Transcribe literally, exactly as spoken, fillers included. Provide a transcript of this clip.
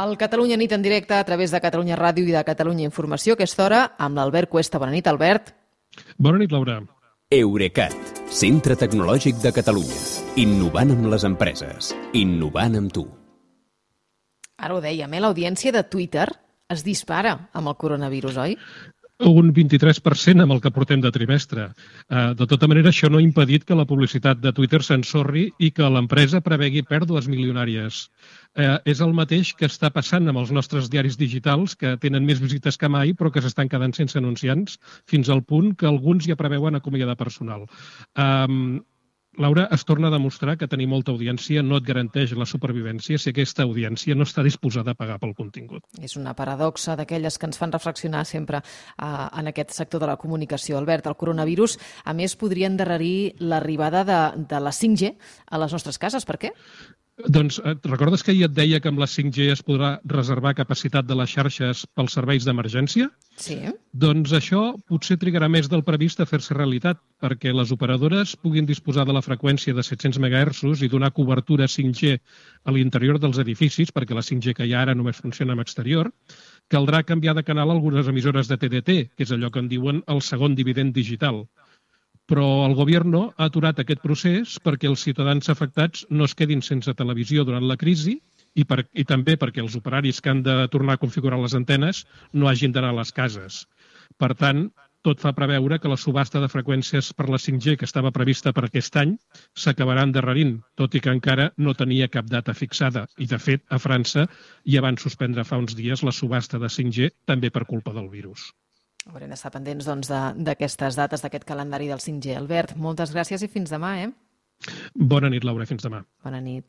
El Catalunya Nit en directe a través de Catalunya Ràdio i de Catalunya Informació, a aquesta hora, amb l'Albert Cuesta. Bona nit, Albert. Bona nit, Laura. Eurecat, centre tecnològic de Catalunya. Innovant amb les empreses. Innovant amb tu. Ara ho dèiem, eh? L'audiència de Twitter es dispara amb el coronavirus, oi? Un vint-i-tres per cent amb el que portem de trimestre. Uh, de tota manera, això no ha impedit que la publicitat de Twitter s'ensorri i que l'empresa prevegui pèrdues milionàries. Uh, és el mateix que està passant amb els nostres diaris digitals, que tenen més visites que mai, però que s'estan quedant sense anunciants, fins al punt que alguns ja preveuen acomiadar personal. Um, Laura, es torna a demostrar que tenir molta audiència no et garanteix la supervivència si aquesta audiència no està disposada a pagar pel contingut. És una paradoxa d'aquelles que ens fan reflexionar sempre eh, en aquest sector de la comunicació. Albert, el coronavirus, a més, podria endarrerir l'arribada de, de la cinc G a les nostres cases. Per què? Doncs recordes que ahir et deia que amb la cinc G es podrà reservar capacitat de les xarxes pels serveis d'emergència? Sí. Doncs això potser trigarà més del previst a fer-se realitat, perquè les operadores puguin disposar de la freqüència de set-cents megahertzs i donar cobertura cinc G a l'interior dels edificis, perquè la cinc G que hi ha ara només funciona en exterior. Caldrà canviar de canal algunes emissores de T D T, que és allò que en diuen el segon dividend digital. Però el govern ha aturat aquest procés perquè els ciutadans afectats no es quedin sense televisió durant la crisi i, per, i també perquè els operaris que han de tornar a configurar les antenes no hagin d'anar a les cases. Per tant, tot fa preveure que la subhasta de freqüències per la cinc G que estava prevista per aquest any s'acabarà endarrerint, tot i que encara no tenia cap data fixada. I, de fet, a França ja van suspendre fa uns dies la subhasta de cinc G també per culpa del virus. Haurem d'estar pendents doncs, d'aquestes dates, d'aquest calendari del cinc G. Albert, moltes gràcies i fins demà, eh? Bona nit, Laura, fins demà. Bona nit.